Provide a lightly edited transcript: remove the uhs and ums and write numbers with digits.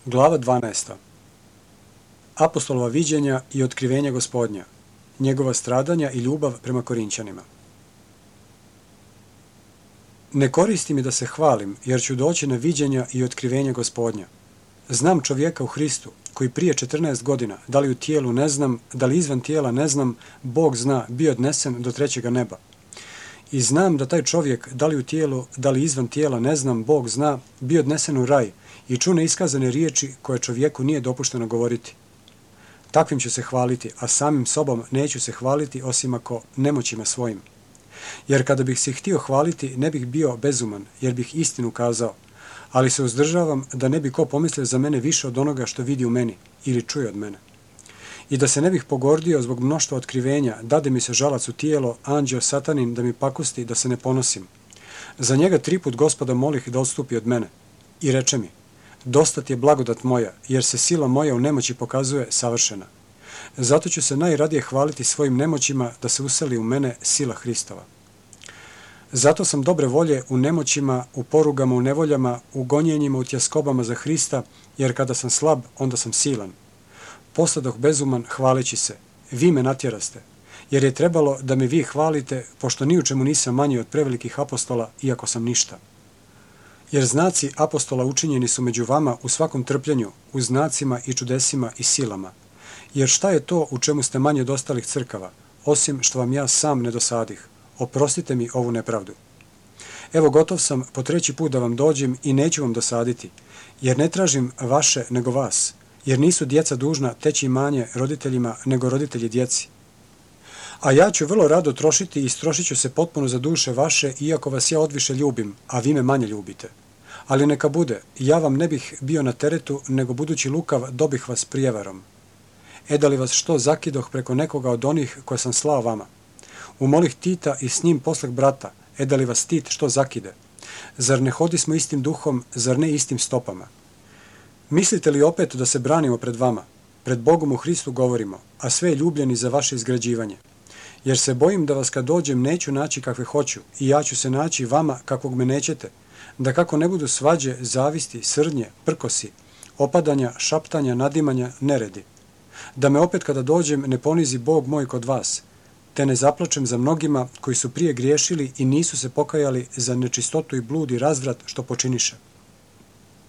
Glava 12. Apostolova viđenja i otkrivenja Gospodnja, njegova stradanja i ljubav prema Korinćanima. Ne koristi mi da se hvalim, jer ću doći na viđenja i otkrivenja Gospodnja. Znam čovjeka u Hristu, koji prije 14 godina, da li u tijelu ne znam, da li izvan tijela ne znam, Bog zna, bio odnesen do trećega neba. I znam da taj čovjek, da li u tijelu, da li izvan tijela ne znam, Bog zna, bio odnesen u raj i ču neiskazane riječi koje čovjeku nije dopušteno govoriti. Takvim ću se hvaliti, a samim sobom neću se hvaliti osim ako nemoćima svojim. Jer kada bih se htio hvaliti, ne bih bio bezuman, jer bih istinu kazao, ali se uzdržavam da ne bi ko pomislio za mene više od onoga što vidi u meni ili čuje od mene. I da se ne bih pogordio zbog mnoštva otkrivenja, dade mi se žalac u tijelo, anđeo satanin da mi pakusti da se ne ponosim. Za njega 3 put Gospoda molih da odstupi od mene. I reče mi, dosta ti je blagodat moja, jer se sila moja u nemoći pokazuje savršena. Zato ću se najradije hvaliti svojim nemoćima da se useli u mene sila Hristova. Zato sam dobre volje u nemoćima, u porugama, u nevoljama, u gonjenjima, u tjeskobama za Hrista, jer kada sam slab, onda sam silan. Posladoh bezuman hvaleći se, vi me natjeraste, jer je trebalo da me vi hvalite, pošto ni u čemu nisam manji od prevelikih apostola, iako sam ništa. Jer znaci apostola učinjeni su među vama u svakom trpljenju, u znacima i čudesima i silama. Jer šta je to u čemu ste manje od ostalih crkava, osim što vam ja sam ne dosadih? Oprostite mi ovu nepravdu. Evo gotov sam po 3. put da vam dođem i neću vam dosaditi, jer ne tražim vaše nego vas, jer nisu djeca dužna teći imanje roditeljima nego roditelji djeci. A ja ću vrlo rado trošiti i istrošit ću se potpuno za duše vaše, iako vas ja odviše ljubim, a vi me manje ljubite. Ali neka bude, ja vam ne bih bio na teretu, nego budući lukav dobih vas prijevarom. Da li vas što zakidoh preko nekoga od onih koje sam slao vama? Umolih Tita i s njim posleh brata, da li vas Tit što zakide? Zar ne hodismo istim duhom, zar ne istim stopama? Mislite li opet da se branimo pred vama? Pred Bogom u Hristu govorimo, a sve je ljubljeni za vaše izgrađivanje. Jer se bojim da vas kad dođem neću naći kakve hoću i ja ću se naći vama kakvog me nećete, da kako ne budu svađe, zavisti, srdnje, prkosi, opadanja, šaptanja, nadimanja, neredi. Da me opet kada dođem ne ponizi Bog moj kod vas, te ne zaplačem za mnogima koji su prije griješili i nisu se pokajali za nečistotu i blud i razvrat što počiniše.